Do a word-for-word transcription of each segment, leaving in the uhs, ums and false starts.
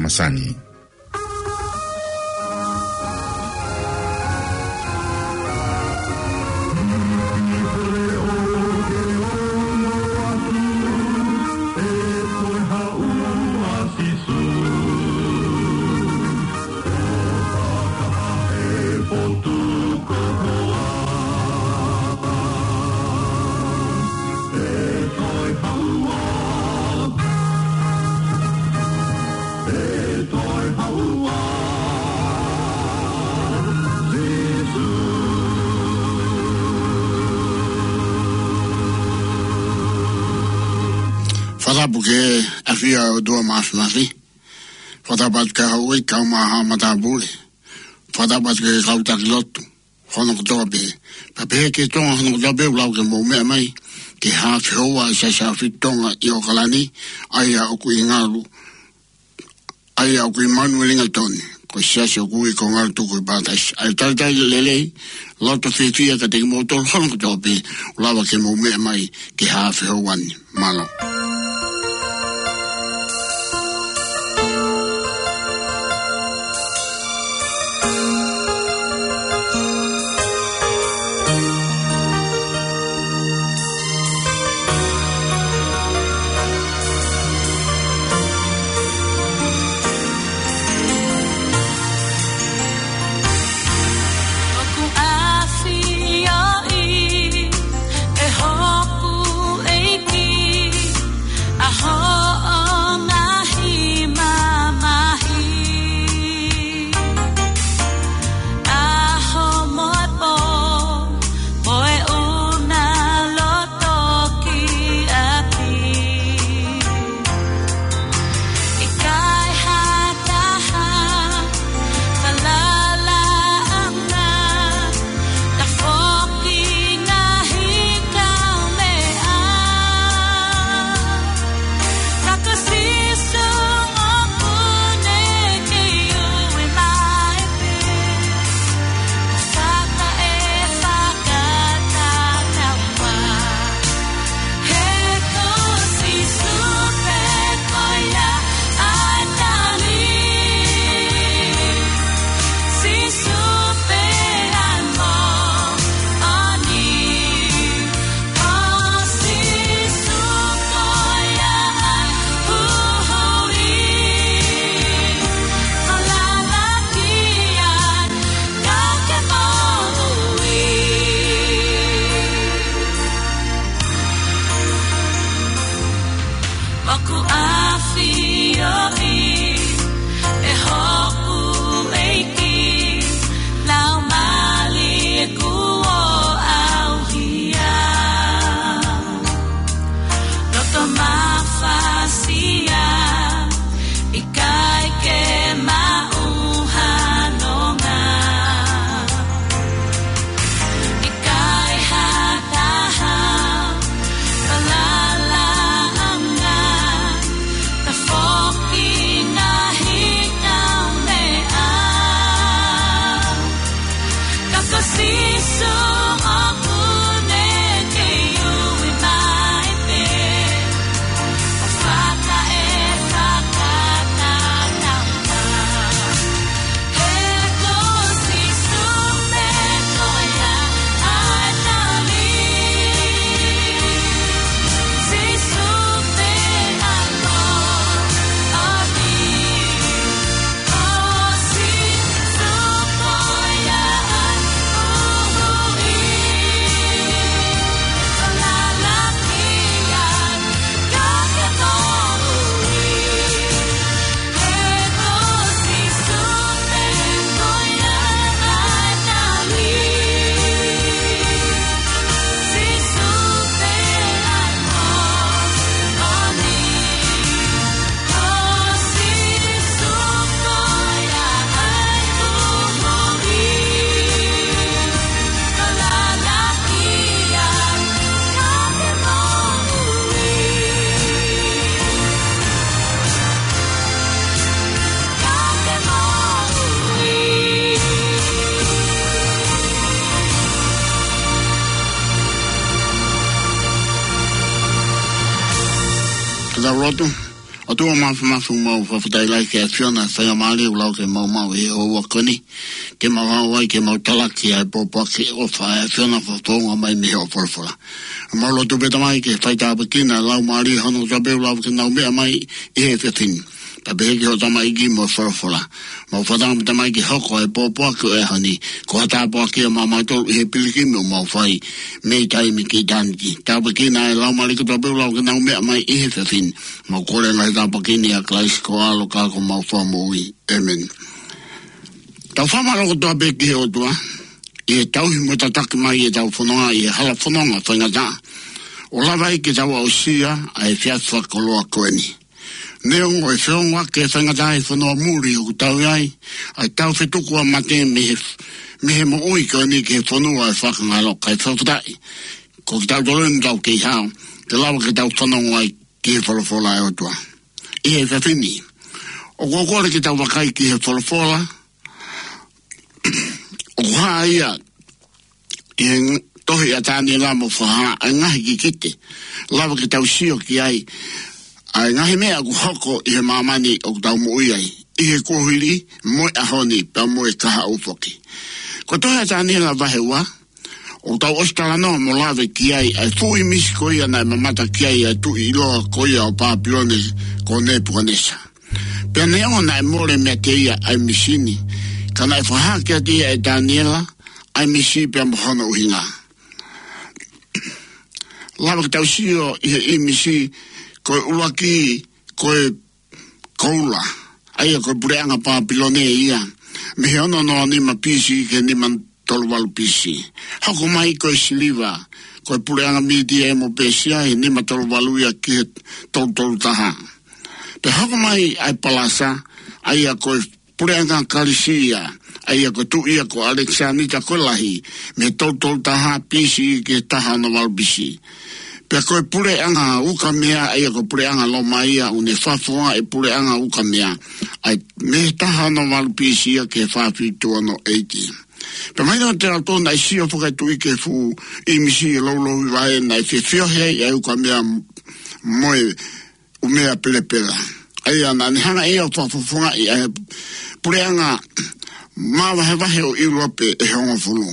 Sani. Fakatapu ki he ʻafio ʻa e ʻOtua Māfimafi. Fakatapu atu ki he houʻeiki kaeʻumaʻā haʻa matāpule. Fakatapu atu ki he kau taki lotu hono kotoa pē. Pea pehē ki he Tonga hono kotoa pē, ʻoku lava ke mou meʻa mai ki he haʻa fehoua ʻa e Siasi ʻAhofitu Tonga ʻi ʻOkalani, ʻa ia ʻoku ʻi Ngalu, ʻa ia ʻoku ʻi Manuelingatone, ko e siasi ʻoku ui ko Ngalu Tukuʻi Pātasi. ʻA ia talitali lelei, loto fiefia kiate kimoutolu hono kotoa pē, ʻoku lava ke mou meʻa mai ki he haʻa fehoua ni. Mālō. ʻOku ʻafioʻi ʻe hoku ʻEiki ʻa hoʻo ngaahi mamahi. ʻAho mo e pō, mo e ʻuna loto ki ʻapi. ʻIkai ha taha falalaʻanga, tafoki ngaahi kaumeʻa. Ka ko Sīsū ʻoku ne kei ui mai pē, fakaʻefaʻi fakatatau. He ko Sīsū pē ko ia ʻa e tali. Sīsū pē ʻa e moʻoni. Ko Sīsū ko ia ʻa e huhuʻi. Falala ki ai ka ke moʻui. ʻOku ʻafioʻi ʻe hoku ʻEiki laumālie kuo ʻauhia. Loto mafasia, ʻikai ke maʻu ha nonga. ʻIkai ha taha falalaʻanga, tafoki ngaahi kaumeʻa. Ka ko Sīsū ʻoku ne kei ui mai pē, ʻo fakaʻefaʻi fakatatau. He ko Sīsū pē ko ia ʻa e tali. Sīsū pē ʻa e moʻoni. Ka tau lotu. ʻOtua Māfimafi, mau fakafetaʻi lahi ki he ʻAfiona, faingamālie ʻoku lau ke mau maʻu ʻi he houa ko eni, ke mau haʻu ai ke mau talaki ʻa e pōpoaki ʻofa ʻa e ʻAfiona fakafofonga mai mei hoʻo folofola. Mau lotu pē Tamai ke faitāpuekina ʻa e laumālie hono kotoa pē ʻoku lava ke nau meʻa mai ʻi he efiafi ni. Pea pehē ki hoʻo tamaiki mo e folofola. Mau fakatauange pē Tamai ke hoko ʻa e pōpoaki ʻo e ʻaho ni ko ha tāpuaki ia maʻamautolu ʻi he pilikimi ʻoku mau fai mei taimi ki ʻitāniti. Tāpuekina ʻa e laumālie kotoa pē ʻoku lava ke nau meʻa mai ʻi he efiafi ni. Mau kole ʻa e ngaahi tāpuaki ni ʻia Kalaisi ko ho ʻAlo ka ko homau Fakamoʻui. ʻĒmeni. Tau fakamālō kotoa pē ki he ʻOtua ʻi he tauhi mo e tataki mai ʻetau fononga ʻi he hala fononga faingataʻa, ʻo lava ai ke tau aʻusia ʻa e efiafi fakakoloa ko eni. Neongo e feongoʻaki e faingataʻa ʻi he fonua muli ʻoku tau ʻi ai, ʻa e tau fetukuʻanga mate mei he, mei he moʻui ko eni ki he fonua ʻo e fakangalo, kae fakafetaʻi ko kitautolu eni ʻoku tau kei hao, ke lava ke tau fanongo ai ki he folofola ʻa e ʻOtua. ʻI he efiafi ni, ʻoku ou kole ke tau vakai ki he folofola ʻoku hā ia ʻi he tohi ʻa Taniela mo Fakahā, ʻa e ngaahi kikite lava ke tau sio ki ai, ʻa e ngaahi meʻa ʻoku hoko ʻi he māmani ʻoku tau moʻui ai, ʻi he kuohili mo e ʻaho ni pea mo e kahaʻu foki. Ko e tohi ʻa Taniela vahe ua, ʻoku tau ʻosi talanoa mo lave ki ai, ʻa e fuʻu ʻīmisi ko ia naʻe mamata ki ai ʻa e tuʻi ʻiloa ko ia ʻo Pāpilone ko Nepukanesa. Pea neongo naʻe mole meiate ia ʻa e ʻīmisi ni, ka naʻe fakahā kiate ia ʻe Taniela ʻa e ʻīmisi pea mo hono ʻuhinga. Lava ke tau sio ʻi he ʻīmisi, ko e ʻuluaki, ko e koula, ʻa ia ko e puleʻanga Pāpilone ia, mei he ono noa nima B C ki he nima tolu valu B C. Hoko mai ko e siliva, ko e puleʻanga Mītia mo Pēsia he nima tolu valu ia ki he tolu tolu taha. Pea hoko mai ʻa e palasa, ʻa ia ko e puleʻanga Kalisia, ʻa ia ko e tuʻi ia ko ʻAlekisānita ko e Lahi, mei he tolu tolu taha B C ki he taha ono valu B C. Pea ko e puleʻanga ukamea, ʻa ia ko e puleʻanga Loma ia, ʻoku ne fakafofongaʻi e puleʻanga ukamea, ʻa ia mei he taha ono valu B C ia ki he fā fitu ono A D. Pea mahino kiate kitautolu naʻe sio foki ʻa e tuʻi ki he fuʻu ʻīmisi ʻi he loulouhivae naʻe fefiohi ai ʻa e ukamea mo e ʻumea pelepela. ʻA ia naʻa ne hanga ʻe ia ʻo fakafofongaʻi ʻa e puleʻanga māvahevahe ʻo ʻIulope ʻe hongofulu,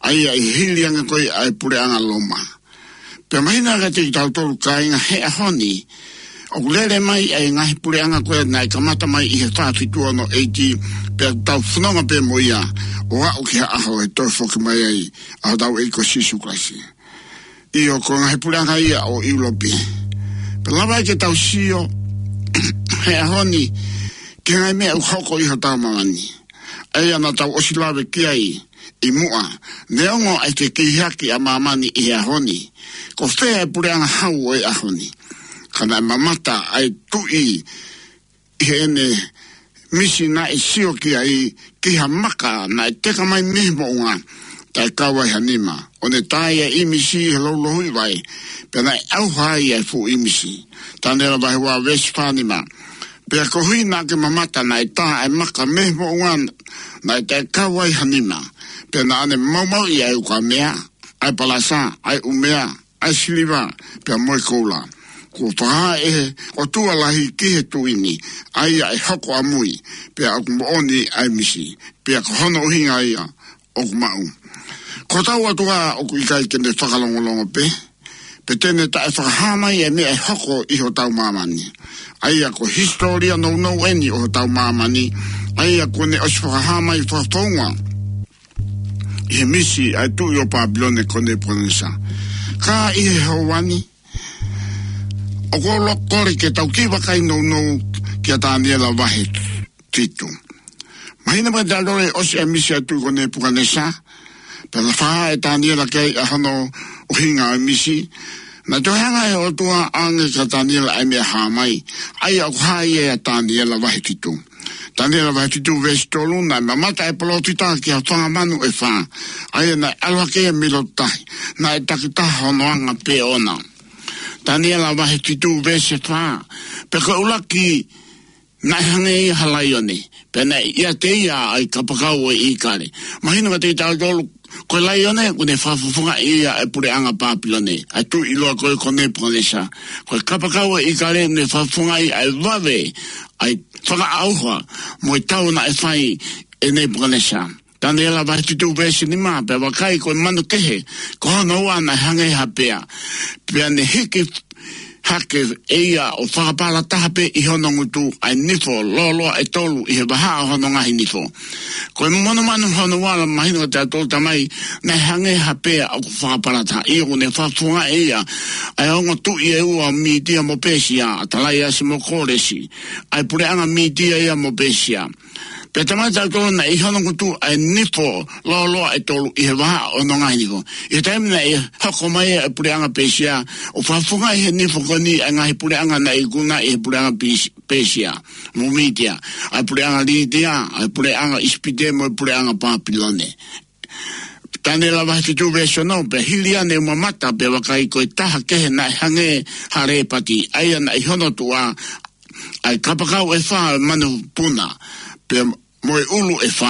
ʻa ia ʻi he hili ange ko ia ʻa e puleʻanga Loma. Pea mahino kiate kitautolu kāinga he ʻaho ni, ʻoku lele mai ʻa e ngaahi puleʻanga ko ia naʻe kamata mai ʻi he fā fitu ono A D, pea tau fononga pē mo ia ʻo aʻu ki he ʻaho ʻe toe foki mai ai ʻa hotau ʻEiki ko Sīsū Kalaisi. ʻIo, ko e ngaahi puleʻanga ia ʻo ʻIulope. Pea lava ai ke tau sio he ʻaho ni ki he ngaahi meʻa ʻoku hoko ʻi hotau māmani, ʻa ia naʻa tau ʻosi lave ki ai ʻi muʻa. Neongo ʻa e fekīhaki ʻa māmani ʻi he ʻaho ni, ko fē ʻa e puleʻanga hau ʻo e ʻaho ni? Ka naʻe mamata ʻa e tuʻi ʻi heʻene ʻīmisi naʻe sio ki ai ki ha maka naʻe teka mai mei he moʻunga, taʻe kau ai ha nima, ʻo ne tā ʻa e ʻīmisi ʻi he loulouhivae, pea naʻe ʻauha ai ʻa e fuʻu ʻīmisi. Taniela vahe ua veesi fā nima. Pea koeʻuhi naʻa ke mamata naʻe tā ʻa e maka mei he moʻunga naʻe taʻe kau ai ha nima, pea naʻa ne maumauʻi ʻa e ukamea, ʻa e palasa, ʻa e ʻumea, ʻa e siliva, pea mo e koula. Kuo fakahā ʻe he ʻOtua Lahi ki he tuʻi ni ʻa ia ʻe hoko ʻamui, pea ʻoku moʻoni ʻa e ʻīmisi, pea ko hono ʻuhinga ia ʻoku maʻu. Ko hotau ʻOtua ʻoku ʻikai ke ne fakalongolongo pē, pe te ne taʻe fakahā mai ʻa e meʻa ʻe hoko ʻi hotau māmani. ʻA ia ko e hisitōlia nounou eni ʻo hotau māmani, ʻa ia kuo ne ʻosi fakahā mai fakafounga ʻi he ʻīmisi ʻa e tuʻi ʻo Pāpilone ko Nepukanesa. Ka ʻi he houa ni, ʻoku ou kole ke tau kiʻi vakai nounou kia Taniela vahe fitu. Mahino mai ʻa e lele ʻosi ʻa e ʻīmisi ʻa e tuʻi ko Nepukanesa, pea fakahā ʻe Taniela ki ai ʻa hono ʻuhinga ʻo e ʻīmisi. Naʻe toe hanga ʻe he ʻOtua ʻo ʻoange kia Taniela ʻa e meʻa hā mai, ʻa ia ʻoku hā ia ʻia Taniela vahe fitu. Taniela vahe fitu veesi tolu, naʻe mamata ʻa e palōfita ki ha fanga manu ʻe fā, ʻa ia naʻe ʻalu hake ia mei loto tahi, naʻe takitaha hono anga pē ʻoʻona. Taniela vahe fitu veesi fā. Pea ko e ʻuluaki naʻe hangē ia ha laione, pea naʻe ʻiate ia ʻa e kapakau ʻo e ʻīkale. Mahino kiate kitautolu, ko e laione, ʻoku ne fakafofongaʻi ia ʻa e puleʻanga Pāpilone, ʻa e tuʻi ʻiloa ko ē ko Nepukanesa. Ko e kapakau ʻo e ʻīkale, ʻoku ne fakafofongaʻi ʻa e vave, ʻa e fakaʻauha, mo e tau naʻe fai ʻe Nepukanesa. Taniela vahe fitu veesi nima, pea vakai ko e manu kehe, ko hono ua naʻe hangē ha pea. Pea ne hiki hake ʻe ia ʻo fakapalataha pē ʻi hono ngutu ʻa e nifo lōloa ʻe tolu ʻi he vahaʻa ʻo hono ngaahi nifo. Ko e monumanu hono ua, mahino kiate kitautolu tamai, naʻe hangē ha pea ʻoku fakapalataha, ʻio ʻoku ne fakafofongaʻi ia ʻa e ongo tuʻi ʻe ua ʻo Mītia mo Pēsia, ʻa Talaiasi mo Kōlesi, ʻa e puleʻanga Mītia ia mo Pēsia. Pea talamai kiate kitautolu naʻe ʻi hono ngutu ʻa e nifo lōloa ʻe tolu ʻi he vahaʻa ʻo hono ngaahi nifo. ʻI he taimi naʻe hoko mai ai ʻa e puleʻanga Pēsia, ʻo fakafofongaʻi ʻe he nifo ko eni ʻa e ngaahi puleʻanga naʻe ikuna ʻi he puleʻanga Pēs-, Pēsia mo Mītia, ʻa e puleʻanga Lītia, ʻa e puleʻanga ʻIsipite mo e puleʻanga Pāpilone. Taniela vahe fitu veesi ono, pea hili ia ne u mamata, pea vakai ko e taha kehe naʻe hangē ha lēpati, ʻa ia naʻe ʻi hono tuʻa ʻa e kapakau ʻe fā ʻo e manu puna, pea mo e ʻulu ʻe fā,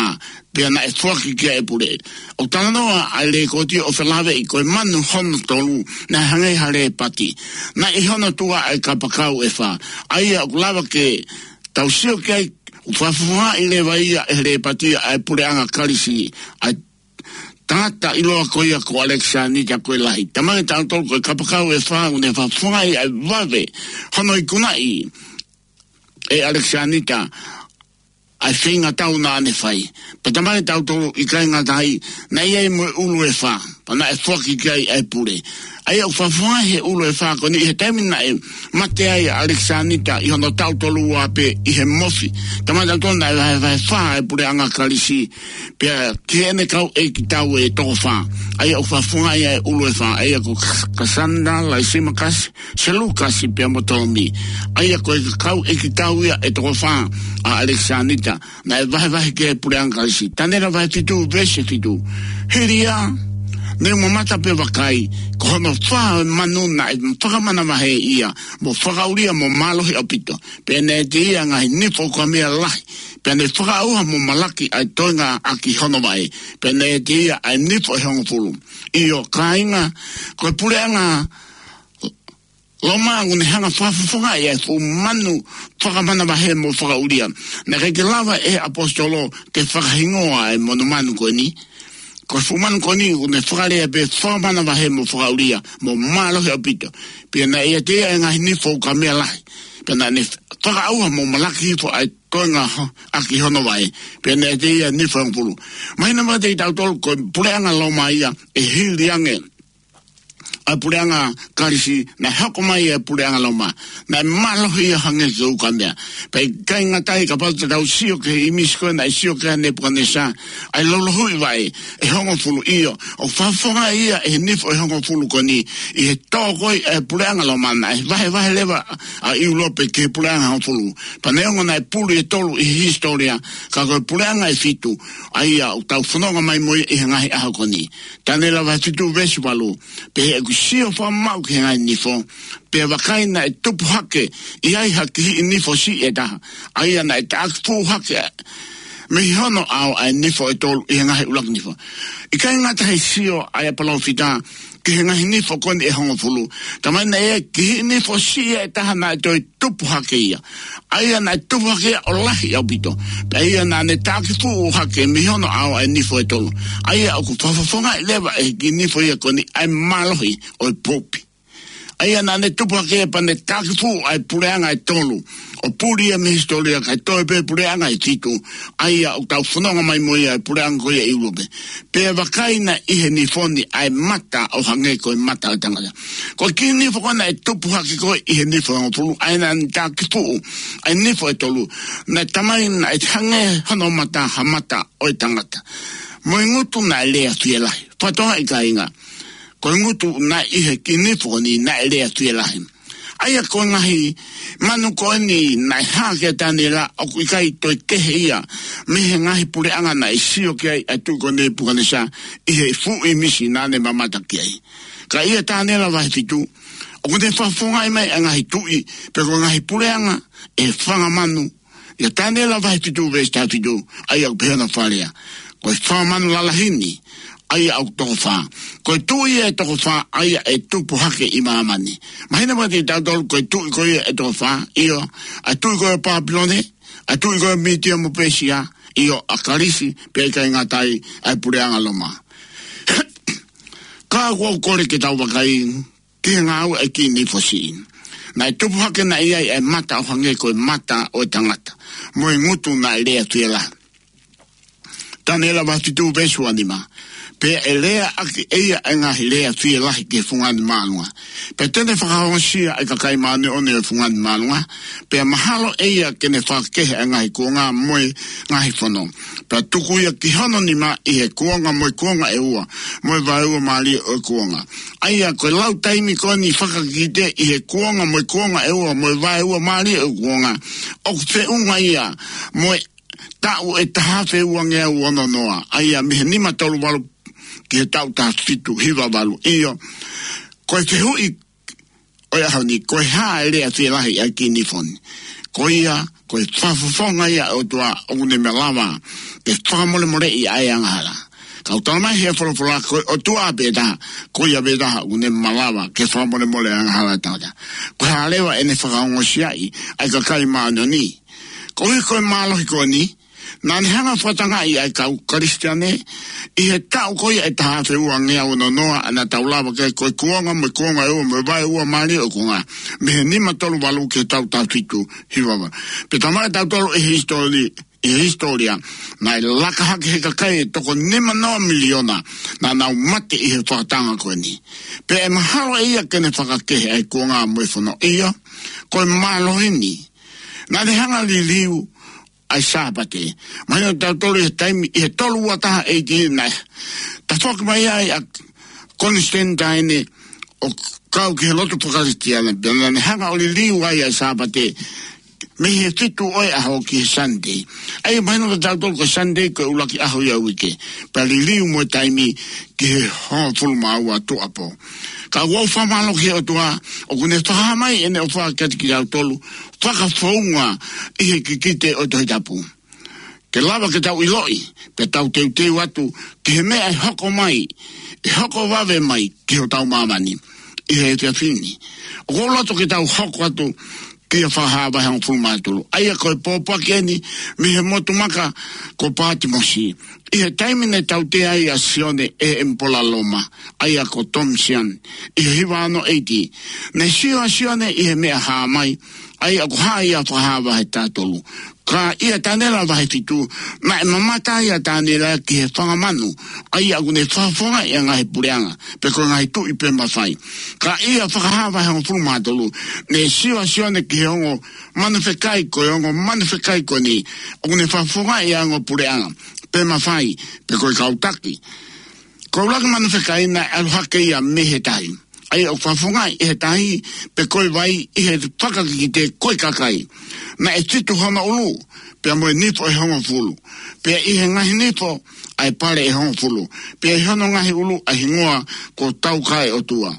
pea naʻe foaki ki ai ʻa e pule. ʻOku talanoa ʻa e lēkooti ʻo felāveʻi ko e manu hono tolu, naʻe hangē ha lēpati, naʻe ʻi hono tuʻa ʻa e kapakau ʻe fā, ʻa ia ʻoku lava ke tau sio ki ai, ʻoku fakafofongaʻi leva ia ʻe he lēpati ʻa e puleʻanga Kalisi, ʻa e tangata ʻiloa ko ia ko ʻAlekisanita ko e Lahi. Talamai kiate kitautolu ko e kapakau ʻe fā ʻoku ne fakafofongaʻi ʻa e vave hono ikunaʻi ʻe ʻAlekisanita ʻa e feinga tau naʻa ne fai. Pea talamai kiate kitautolu ʻikai ngata ai, naʻe ʻi ai mo e ʻulu ʻe fā, pea naʻe foaki ki ai ʻa e pule. ʻA ia ʻoku fakafofongaʻi ʻe he ʻulu ʻe fā ko eni ʻi he taimi naʻe mate ai ʻa ʻAlekisanita ʻi hono taʻu tolu ua pē ʻi he mofi. Talamai kiate kitautolu naʻe vahevahe fā ʻa e puleʻanga Kalisi, pea ki heʻene kau ʻeikitau ʻe toko fā. ʻA ia ʻoku fakafofongaʻi ʻa e ʻulu ʻe fā, ʻa ia ko Kas-, Kasanda, Laisimakasi, Selukasi pea mo Tolomi. ʻA ia ko e kau ʻeikitau ia ʻe toko fā ʻa ʻAlekisanita, naʻe vahevahe ki ai ʻa e puleʻanga Kalisi. Taniela vahe fitu veesi fitu. Hili ia ne u mamata pea vakai, ko hono fā ʻo e manu naʻe fakamanavahē ia, mo fakaʻulia mo mālohi ʻaupito. Pea naʻe ʻiate ia ʻa e ngaahi nifo ʻoku ʻa meʻa lahi, pea ne fakaʻauha mo malaki ʻa e toenga ʻaki hono vaʻe. Pea naʻe ʻiate ia ʻa e nifo ʻe hongofulu. ʻIo kāinga, ko e puleʻanga Loma ʻoku ne hanga ʻo fakafofongaʻi ʻa e fuʻu manu fakamanavahē mo fakaʻulia. Naʻe ʻikai ke lava ʻe he ʻaposetolo ke fakahingoa ʻa e monumanu ko eni. Ko e fuʻu manu ko eni ʻoku ne fakalea pē fakamanavahē mo fakaʻulia mo mālohi ʻaupito. Pea naʻe ʻiate ia ʻa e ngaahi nifo ʻoku ʻa meʻa lahi, pea naʻa ne fakaʻauha mo malaki hifo ʻa e toenga ho-, ʻaki hono vaʻe. Pea naʻe ʻiate ia ʻa e nifo ʻe hongofulu. Mahino mai kiate kitautolu ko e puleʻanga Loma ia ʻe hili ange ʻa e puleʻanga Kalisi, naʻe hoko mai ʻa e puleʻanga Loma, naʻe mālohi ia hangē ko e ukamea. Pea ʻikai ngata ai, kapau te tau sio ki he ʻīmisi ko ē naʻe sio ki ai ʻa Nepukanesa, ʻa e loulouhiʻi vaʻe ʻe hongofulu. ʻIo, ʻoku fakafofongaʻi ia ʻe he nifo ʻe hongofulu ko eni ʻi he tō ko ē ʻa e puleʻanga Loma, naʻe vahevahe leva ʻa ʻIulope ki he puleʻanga hongofulu. Pea neongo naʻe puli ʻe tolu ʻi he hisitōlia, ka ko e puleʻanga ʻe fitu ʻa ia ʻoku tau fononga mai mo ia ʻi he ngaahi ʻaho ko eni. Taniela vahe fitu veesi valu. Pea ʻi heʻeku sio fakamaʻu ki he ngaahi nifo, pea vakai naʻe tupu hake ʻi ai ha kihiʻi nifo siʻi ʻe taha, ʻa ia naʻe taʻaki fuʻu hake mei hono ʻao ʻa e nifo ʻe tolu ʻi he ngaahi ʻuluaki nifo. ʻIkai ngata he sio ʻa e palōfita ki he ngaahi nifo ko eni ʻe hongofulu, talamai naʻe ʻi ai ha kihiʻi nifo siʻi ʻe taha naʻe toe tupu hake ia, ʻa ia naʻe tupu hake ia ʻo lahi ʻaupito. Pea ia naʻa ne taʻaki fuʻu hake mei hono ʻao ʻa e nifo ʻe tolu, ʻa ia ʻoku fakafofongaʻi leva ʻe he kihiʻi nifo ia ko eni ʻa e mālohi ʻo e Pope. ʻA ia naʻa ne tupu hake ia pea ne taʻaki fuʻu ʻa e puleʻanga ʻe tolu, ʻo puli ia mei he hisitōlia kae toe pē puleʻanga ʻe fitu, ʻa ia ʻoku tau fononga mai mo ia ʻa e puleʻanga ko ia ʻi ʻIulope. Pea vakai naʻe ʻi he nifo ni ʻa e mata ʻo hangē ko e mata ʻo e tangata. Ko e kihiʻi nifo ko ē naʻe tupu hake ko ē ʻi he nifo ʻe hongofulu, ʻa ia naʻa ne taʻaki fuʻu ʻa e nifo ʻe tolu, naʻe talamai naʻe hangē hono mata ha mata ʻo e tangata, mo e ngutu naʻe lea fielahi. Fakatokangaʻi kāinga, ko e ngutu naʻe ʻi he kihiʻi nifo ni naʻe lea fielahi. ʻA ia ko e ngaahi manu ko eni naʻe hā kia Taniela ʻoku ʻikai toe kehe ia mei he ngaahi puleʻanga naʻe sio ki ai ʻa e tuʻi ko Nepukanesa ʻi he fuʻu ʻīmisi naʻa ne mamata ki ai. Ka ʻia Taniela vahe fitu, ʻoku ne fakafofongaʻi mai ʻa e ngaahi tuʻi, pe ko e ngaahi puleʻanga ʻe fanga manu, ʻIa Taniela vahe fitu veesi taha fitu, ʻa ia ʻoku pehē hono fakalea: Ko e fanga manu lalahi ni, ʻa ia ʻoku toko fā. Ko e tuʻi ʻe toko fā, ʻa ia ʻe tupu hake ʻi māmani. Mahino kiate kitautolu ko e tuʻi ko ia ʻe toko fā, ʻio, ʻa e tuʻi ko ia ʻo Pāpilone, ʻa e tuʻi ko ia ʻo Mītia mo Pēsia, ʻio, ʻa Kalisi, pea ʻikai ngata ai, ʻa e puleʻanga Loma. Ka ʻoku ou kole ke tau vakai ki he ngāue ʻa e kiʻi nifo siʻi. Naʻe tupu hake naʻe ʻi ai ʻa e mata ʻo hangē ko e mata ʻo e tangata, mo e ngutu naʻe lea fielahi. Taniela vahe fitu veesi ua nima. Pea ʻe lea ʻaki ʻe ia ʻa e ngaahi lea fielahi ki he fungani māʻolunga. Pea te ne fakaongosia ʻa e kakai māʻoniʻoni ʻo e fungani māʻolunga. Pea mahalo ʻe ia ke ne fakakehe ʻa e ngaahi kuonga mo e ngaahi fono. Pea tuku ia ki hono nima ʻi he kuonga mo e kuonga ʻe ua, mo e vaeua mālie ʻo e kuonga. ʻA ia ko e lau taimi ko eni fakakikite ʻi he kuonga mo e kuonga ʻe ua, mo e vaeua mālie ʻo e kuonga, ʻoku feʻunga ia mo e taʻu ʻe taha afe ua ngeau ono noa, ʻa ia mei he nima tolu valu ki he taʻu taha fitu hiva valu. ʻIo, ko e fehuʻi ʻo e ʻaho ni, ko e hā e lea fielahi ʻa e kiʻi nifo ni? Ko ia, ko e fakafofonga ia ʻo e ʻOtua ʻoku ne malava ke fakamolemoleʻi ʻa e angahala. Ka ʻoku talamai ʻe he folofola ko e ʻOtua pē taha, ko ia pē taha ʻoku ne malava ke fakamolemole ʻa e angahala ʻa e tangata. Ko e hā leva ʻene fakaongosiaʻi ʻa e kakai māʻoniʻoni? Koeʻuhi ko e mālohi ko eni, naʻa ne hanga ʻo fakatangaʻi ʻa e kau Kalisitiane ʻi he taʻu ko ia ʻe taha afe ua ngeau ono noa, ʻa ia naʻa tau lave ki ai, ko e kuonga mo e kuonga ʻe ua, mo e vaeua mālie ʻo e kuonga, mei he nima tolu valu ki he taʻu taha fitu hiva valu. Pea talamai kiate kitautolu ʻe he hisitōlia, ʻe he hisitōlia, naʻe laka hake he kakai ʻe toko nima noa miliona naʻa nau mate ʻi he fakatanga ko eni. Pea ʻe mahalo ʻe ia ke ne fakakehe ʻa e kuonga mo e fono. ʻIo, ko e mālohi ni. Naʻa ne hanga ʻo liliu ʻa e Sāpate. Mahino kiate kitautolu ʻi he taimi, ʻi he tolu ua taha A D naʻe tafoki mai ai ʻa Konisitenitaine ʻo kau ki he lotu faka-Kalisitiane, pea naʻa ne hanga ʻo liliu ai ʻa e Sāpate mei he fitu ʻo e ʻaho ki he Sunday. ʻA ia mahino kiate kitautolu ko e Sunday ko e ʻuluaki ʻaho ia ʻo e uike, pea liliu mo e taimi ki he hongofulu mā ua tuʻuapō. Ka ʻoku ou fakamālō ki he ʻOtua, ʻoku ne fakahā mai ʻene ʻofa kiate kitautolu, fakafounga ʻi he kikite ʻo e Tohi Tapu, ke lava ke tau ʻiloʻi, pea tau teuteu atu ki he meʻa ʻe hoko mai, ʻe hoko vave mai ki hotau māmani ʻi he efiafi ni. ʻOku ou loto ke tau hoko atu ki he Fakahā vahe hongofulu mā tolu. ʻA ia ko e pōpoaki eni mei he motu maka ko Pātimosi, ʻi he taimi naʻe tautea ai ʻa Sione ʻe he ʻemipola Loma, ʻa ia ko Tomasiani, ʻi he hiva ono A D. Naʻe sio ʻa Sione ʻi he meʻa hā mai, ʻa ia ʻoku hā ia ʻi he Fakahā vahe taha tolu. Ka ʻia Taniela vahe fitu, naʻe mamata ai ʻa Taniela ki he fanga manu, ʻa ia ʻoku ne fakafofongaʻi ʻa e ngaahi puleʻanga, pe ko e ngaahi tuʻi pe mafai. Ka ʻia Fakahā vahe hongofulu mā tolu, naʻe sio ʻa Sione ki he ongo manu fekai, ko e ongo manu fekai ko eni ʻoku ne fakafofongaʻi ʻa e ongo puleʻanga pe mafai, pe ko e kau taki. Ko e ʻuluaki manu fekai naʻe ʻalu hake ia mei he tahi, ʻa ia ʻoku fakafofongaʻi ʻe he tahi pe ko e vai ʻi he fakakikite ko e kakai. Naʻe fitu hono ʻulu, pea mo e nifo ʻe hongofulu, pea ʻi he ngaahi nifo ʻa e pale ʻe hongofulu, pea ʻi hono ngaahi ʻulu ʻa e hingoa ko Taukaeʻotua.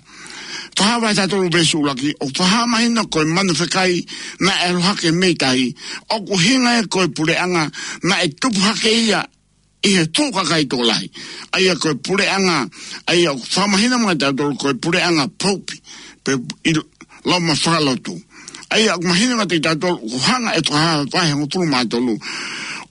Fakahā vahe taha tolu veesi ʻuluaki, ʻoku fakamahino ko e manu fekai naʻe ʻalu hake mei tahi, ʻoku ʻuhinga ia ko e puleʻanga naʻe tupu hake ia ʻi he fuʻu kakai tokolahi, ʻa ia ko e puleʻanga, ʻa ia ʻoku fakamahino mai kiate kitautolu ko e puleʻanga pope, pe ʻi Loma fakalotu. ʻA ia ʻoku mahino kiate kitautolu ʻoku hanga ʻe Fakahā vahe hongofulu mā tolu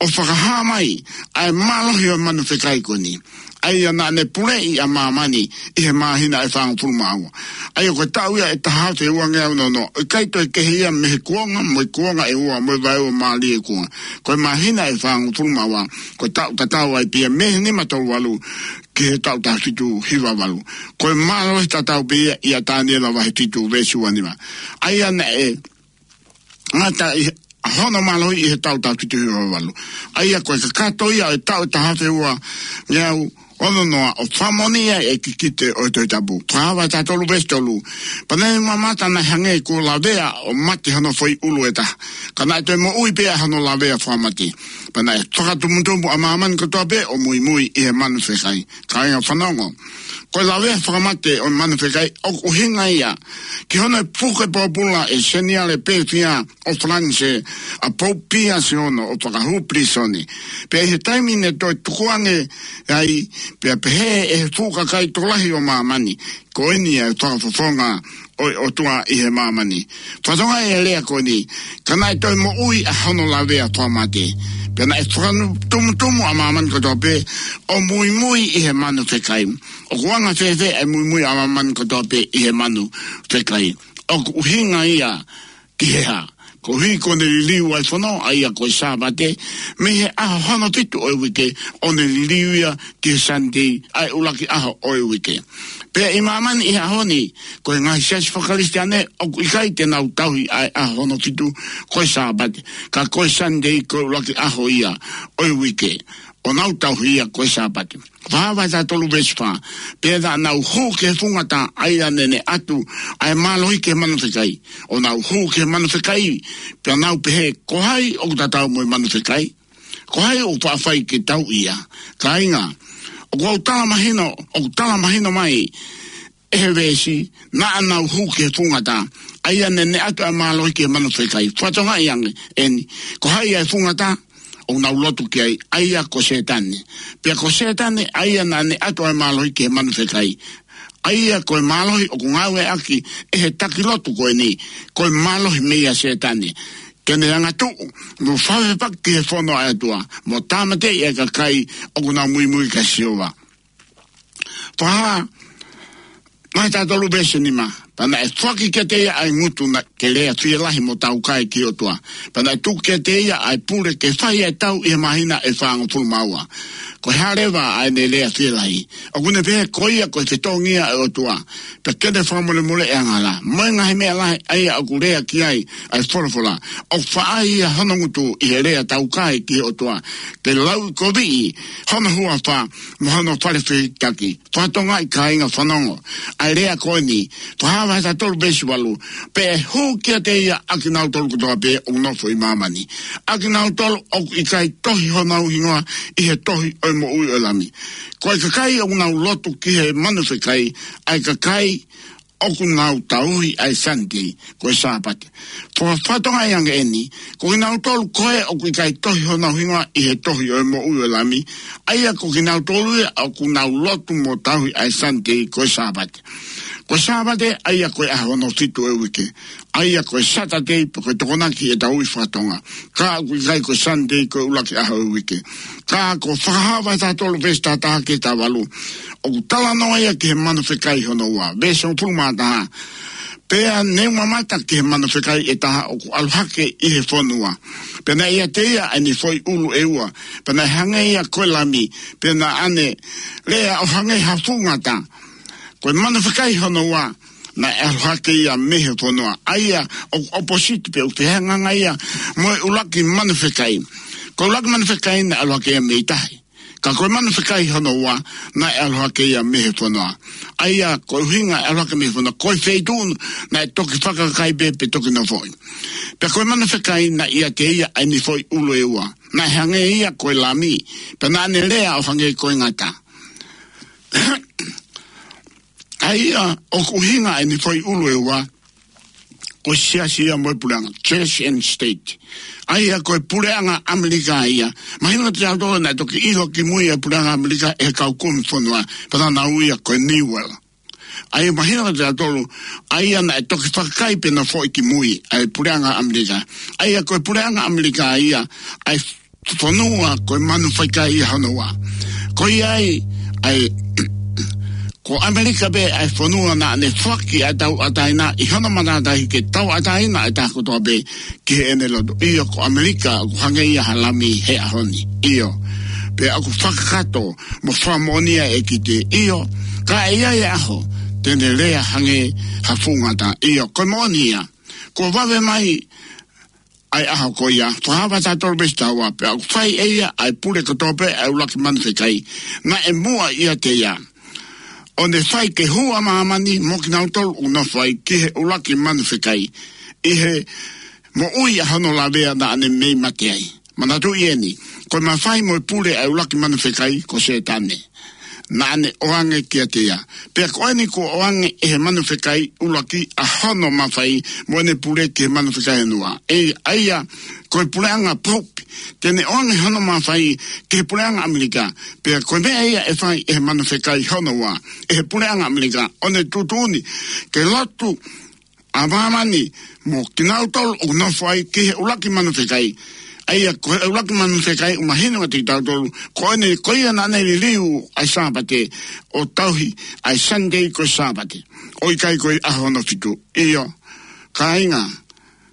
ʻo fakahā mai ʻa e mālohi ʻo e manu fekai ko eni, ʻa ia naʻa ne puleʻi ʻa māmani ʻi he māhina ʻe fāngofulu mā ua. ʻA ia ko e taʻu ia ʻe taha afe ua ngeau ono noa, ʻikai toe kehe ia mei he kuonga mo e kuonga ʻe ua, mo e vaeua mālie ʻo e kuonga. Ko e māhina ʻe fāngofulu mā ua, ko e taʻu tatau ai pē ia mei he nima tolu valu ki he taʻu taha fitu hiva valu. Ko e mālohi tatau pē ia ʻia Taniela vahe fitu veesi ua nima, ʻa ia naʻe ngata ʻi he, hono mālohi ʻi he taʻu taha fitu hiva valu. ʻA ia ko e kakato ia ʻo e taʻu ʻe taha afe ua ngeau Ono noa, ʻo fakamoʻoni ʻa e kikite ʻo e Tohi Tapu. Fakahā vahe taha tolu veesi tolu. Pea naʻe mamata naʻe hangē kuo lavea ʻo mate hono foʻi ʻulu ʻe taha. Ka naʻe toe moʻui pē ʻa hono lavea fakamate. Pea naʻe fakatumutumu ʻa māmani kotoa pē ʻo muimui ʻi he manu fekai. Kāinga fanongo. Ko e lavea fakamate ʻo e manu fekai ʻoku ʻuhinga ia ki hono puke pōpula ʻe he Seniale Pēfia ʻo Falanisē ʻa Pope Pius hono ʻo fakahū pilīsone. Pea ʻi he taimi naʻe toe tukuange ai, pea pehē ʻe he fuʻu kakai tokolahi ʻo māmani, ko eni ʻa e fakafofonga ʻo e ʻOtua ʻi he māmani. Fakatokangaʻi e lea ko eni, ka naʻe toe moʻui ʻa hono lavea fakamate. Pea naʻe fakatumutumu ʻa māmani kotoa pē ʻo muimui ʻi he manu fekai. ʻOku anga fēfē ʻa e muimui ʻa māmani kotoa pē ʻi he manu fekai? ʻOku ʻuhinga ia ki he hā? Koeʻuhi ko ʻene liliu ʻa e fono, ʻa ia ko e Sāpate, mei he ʻaho hono fitu ʻo e uike, ʻo ne liliu ia ki he Sunday, ʻa e ʻuluaki ʻaho ʻo e uike. Pea ʻi māmani ʻi he ʻaho ni, ko e ngaahi siasi faka-Kalisitiane ʻoku ʻikai te nau tauhi ʻa e ʻaho hono fitu ko e Sāpate, ka ko e Sunday ko e ʻuluaki ʻaho ia ʻo e uike, ʻo nau tauhi ia ko e Sāpate. Fakahā vahe taha tolu veesi fā. Pea naʻa nau hū ki he fungata, ʻa ia naʻe ʻatu ʻa e mālohi ki he manu fekai. ʻO nau hū ki he manu fekai, pea nau pehē, ko hai ʻoku tatau mo e manu fekai? Ko hai ʻoku faʻa fai ke tauʻi ia? Kāinga, ʻoku ou tala mahino, ʻoku tala mahino mai ʻe he veesi, naʻa nau hū ki he fungata, ʻa ia naʻe ʻatu ʻa e mālohi ki he manu fekai. Fakatokangaʻi ange eni, ko hai ʻa e fungata ʻoku nau lotu ki ai? ʻA ia ko Sētane. Pea ko Sētane ʻa ia naʻa ne ʻatu ʻa e mālohi ki he manu fekai, ʻa ia ko e mālohi ʻoku ngāueʻaki ʻe he taki lotu ko eni, ko e mālohi meia Sētane, ke ne angatuʻu mo fakafepaki ki he fono ʻa e ʻOtua, mo tāmateʻi ʻa e kakai ʻoku nau muimui kia Sihova. Fakahā vahe taha tolu veesi nima. Pea naʻe foaki kiate ia ʻa e ngutu naʻa ke lea fielahi mo taukae ki he ʻOtua. Pea naʻe tuku kiate ia ʻa e pule ke fai ʻa e tau ʻi he māhina ʻe fāngofulu mā ua. Ko e hā leva ʻa ʻene lea fielahi? ʻOku ne pehē ko ia ko e fetongi ia ʻo e ʻOtua, pea ke ne fakamolemoleʻi ʻa e angahala mo e ngaahi meʻa lahi ʻa ia ʻoku lea ki ai ʻa e folofola. ʻOku faʻa ʻai ia hono ngutu ʻi he lea taukae ki he ʻOtua, ke lauʻikoviʻi hono huafa mo hono fale fehikitaki. Fakatokangaʻi kāinga fanongo ʻa e lea ko eni, Fakahā vahe taha tolu veesi valu. Pea ʻe hū kiate ia ʻa kinautolu kotoa pē ʻoku nofo ʻi māmani, ʻa kinautolu ʻoku ʻikai tohi honau hingoa ʻi he tohi ʻo e moʻui ʻo e Lami. Ko e kakai ʻoku nau lotu ki he manu fekai, ʻa e kakai ʻoku nau tauhi ʻa e Sunday, ko e Sāpate. Fo-, fakatokangaʻi ange eni, ko kinautolu ko ē ʻoku ʻikai tohi honau hingoa ʻi he tohi ʻo e moʻui ʻo e Lami, ʻa ia ko kinautolu ia ʻoku nau lotu mo tauhi ʻa e Sunday, ko e Sāpate. Ko e Sāpate, ʻa ia ko e ʻaho hono fitu ʻo e uike, ʻa ia ko e Saturday, pe ko e Tokonaki ʻi he tau ʻi faka-Tonga, ka ʻoku ʻikai ko e Sunday ko e ʻuluaki ʻaho ʻo e uike. Ka ko Fakahā vahe taha tolu veesi taha taha ki he taha valu, ʻoku talanoa ia ki he manu fekai hono ua, veesi hongofulu mā taha. Pea ne u mamata ki he manu fekai ʻe taha ʻoku ʻalu hake ʻi he fonua. Pea naʻe ʻiate ia ʻa ʻene foʻi ʻulu ʻe ua. Pea naʻe hangē ia ko e lami. Pea naʻa ne lea ʻo hangē ha fuʻu ngata. Ko e manu fekai hono ua, naʻe ʻalu hake ia mei he fonua. ʻA ia ʻoku ʻopositi pe ʻoku fehangahangai ia mo e ʻuluaki manu fekai. Ko e ʻuluaki manu fekai naʻe ʻalu hake ia mei tahi. Ka ko e manu fekai hono ua, naʻe ʻalu hake ia mei he fonua. ʻA ia ko e ʻuhinga e ʻalu hake mei he fonua, ko e feituʻu naʻe toki fakakakai pē pe toki nofoʻi. Pea ko e manu fekai naʻe ʻiate ia ʻa ʻene foʻi ʻulu ʻe ua. Naʻe hangē ia ko e lami. Pea naʻa ne lea ʻo hangē ko e ngata. ʻA ia ʻoku ʻuhinga ʻa ʻene foʻi ʻulu ʻe ua, ko e siasi ia mo e puleʻanga, church and state. ʻA ia ko e puleʻanga ʻAmelika ia. Mahino kiate kitautolu naʻe toki ʻilo kimui ʻa e puleʻanga ʻAmelika ʻe he kau kumi fonua, pea naʻa nau ui ia ko e New World. ʻA ia mahino kiate kitautolu, ʻa ia naʻe toki fakakakai pe nofoʻi kimui ʻa e puleʻanga ʻAmelika. ʻA ia ko e puleʻanga ʻAmelika ia, ʻa e fonua ko e manu fekai ia hono ua. Ko ia ai, ʻa e, ko ʻAmelika pē ʻa e fonua naʻa ne foaki ʻa e tauʻatāina ʻi hono matātahi ke tauʻatāina ʻa e taha kotoa pē ki heʻene lotu. ʻIo, ko ʻAmelika ʻoku hangē ia ha lami he ʻaho ni. ʻIo, pea ʻoku fakakakato mo fakamoʻoni ʻa e ʻEikitī. ʻIo, ka ʻe ʻi ai e ʻaho te ne lea hangē ha fuʻu ngata. ʻIo, ko e moʻoni ia. Kuo vave mai ʻa e ʻaho ko ia, fakaava tautolu pē ʻi taua, pea ʻoku fai ʻe ia ʻa e pule kotoa pē ʻa e ʻuluaki manu fekai naʻe muʻa ʻiate ia, ʻo ne fai ke hū ʻa māmani mo kinautolu ʻoku nofo ai ki he ʻuluaki manu fekai, ʻi he moʻui ʻa hono lavea naʻa ne mei mate ai. Manatuʻi eni, ko e mafai mo e pule ʻa e ʻuluaki manu fekai ko Sētane naʻa ne ʻoange kiate ia. Pea ko eni kuo ʻoange ʻe he manu fekai ʻuluaki ʻa hono mafai mo ʻene pule ki he manu fekai hono ua. ʻE, ʻa ia, ko e puleʻanga Pope, te ne ʻoange hono mafai ki he puleʻanga ʻAmelika. Pea ko e meʻa ia ʻe fai ʻe he manu fekai hono ua ʻi he puleʻanga ʻAmelika, ʻo ne tuʻutuʻuni ke lotu ʻa māmani mo kinautolu ʻoku nofo ai ki he ʻuluaki manu fekai. ʻA ia, ko e ʻuluaki manu fekai ʻoku mahino kiate kitautolu, ko eni, ko ia naʻa ne liliu ʻa e Sāpate ʻo tauhi ʻa e Sunday ko e Sāpate, ʻo ʻikai ko e ʻaho hono fitu. ʻIo, kāinga,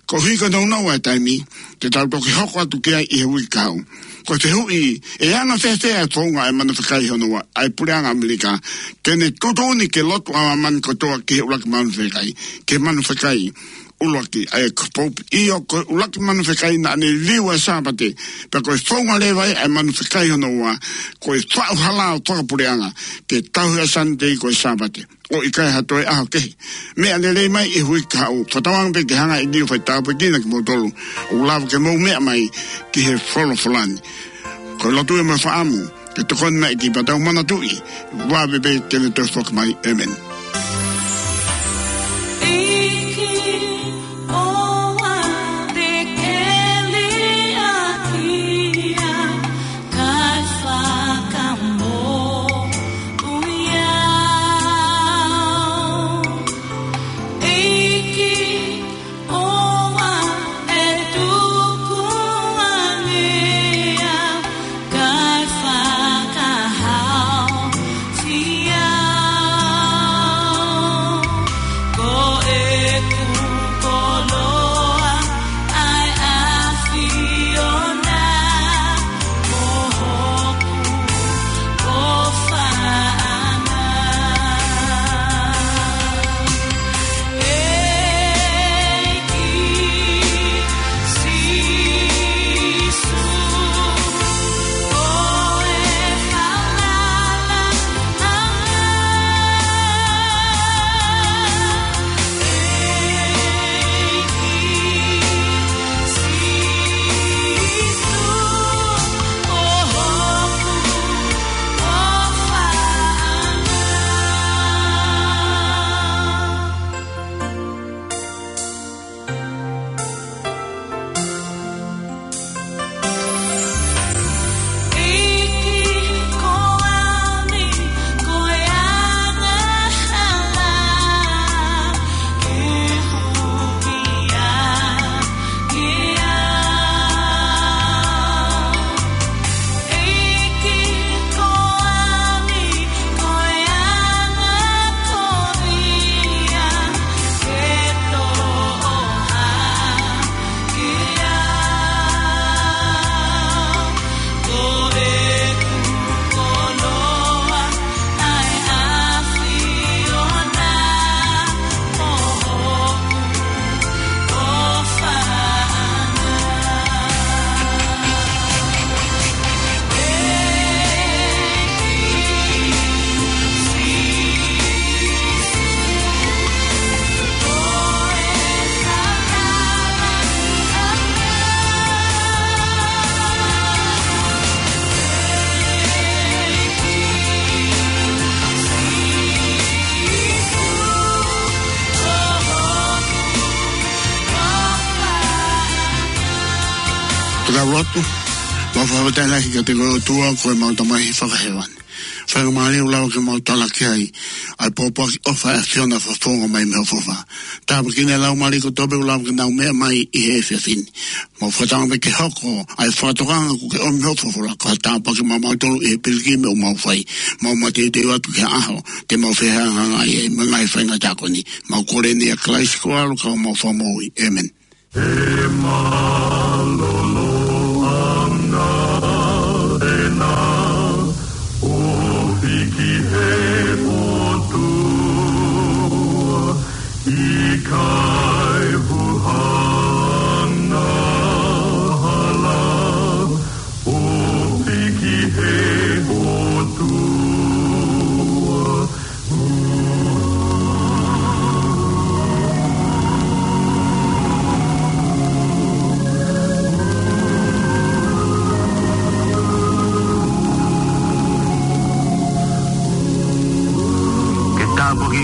koeʻuhi ko e nounou ʻa e taimi, te tau toki hoko atu ki ai ʻi he uike kahaʻu. Ko e fehuʻi, ʻe anga fēfē ʻa e founga ʻa e manu fekai hono ua ʻa e puleʻanga ʻAmelika, ke ne tuʻutuʻuni ke lotu ʻa māmani kotoa ki he ʻuluaki manu fekai, ki he manu fekai ʻuluaki, ʻa ia ko Pope? ʻIo, ko e ʻuluaki manu fekai naʻa ne liliu ʻa e Sāpate, pea ko e founga leva ia ʻa e manu fekai hono ua, ko e faʻu hala ʻo e fakapuleʻanga ke tauhi ʻa e Sunday ko e Sāpate, ʻo ʻikai ha toe ʻaho kehe. Meʻa lelei mai ʻi he uike kahaʻu, fakatauange pē ke hanga ʻe Lio ʻo fai tāpuekina kimoutolu ʻoku lava ke mou meʻa mai ki he folofola ni. Ko e lotu ē mo e fakaʻamu ke tokoni mai ki, pea tau manatuʻi, vave pē te ne toe foki mai. ʻĒmeni. ʻEiki, ʻoua te ke liʻaki au, kae fakamoʻui au. ʻEiki, ʻoua ʻe tukuange au, kae fakahaofi au. Ko ʻeku koloa ʻa e ʻAfiona, mo hoku ʻofaʻanga. ʻEiki Sīsū, ko e falala ʻaʻau. ʻEiki Sīsū, ko hoku ʻofaʻanga. ʻEiki, ko au ni, ko e angahala ke hukia kiate au. ʻEiki, ko au ni, ko e angakovi ia ke toʻo hake au. Ko ʻeku koloa ʻa e ʻAfiona, mo hoku ʻofaʻanga. Pea tau lotu. Mau fakafetaʻi lahi kiate koe ʻOtua, ko ʻemau Tamai fakahēvani. Faingamālie ʻoku lava ke mau talaki ai ʻa e pōpoaki ʻofa ʻa e ʻAfiona, fakafofonga mai mei ho huafa. Tāpuekina e laumālie kotoa pē ʻoku lava ke nau meʻa mai ʻi he efiafi ni. Mau fakatauange pē ke hoko ʻa e fakatokanga kuo ke ʻomi mei ho huafa ko ha tāpuaki maʻamautolu ʻi he pilikimi ʻoku mau fai. Mau mateuteu atu ki he ʻaho te mau fehangahangai ai mo e ngaahi faingataʻa ko eni. Mau kole ni ʻia Kalaisi ko ho ʻAlo ka ko homau Fakamoʻui. ʻĒmeni. He mālōlō ʻa e ʻOtua ʻoku hiki he ʻOtua, ʻikai huhanga.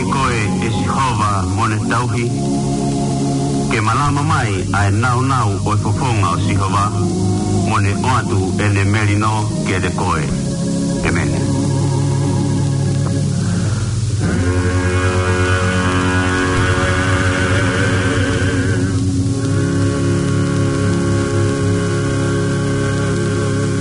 Koe, ʻe Sihova, mo ne tauhi, ke malama mai ʻa e naunau ʻo e fofonga ʻo Sihova, mo ne ʻoatu ʻene melino kiate koe. ʻEmeni.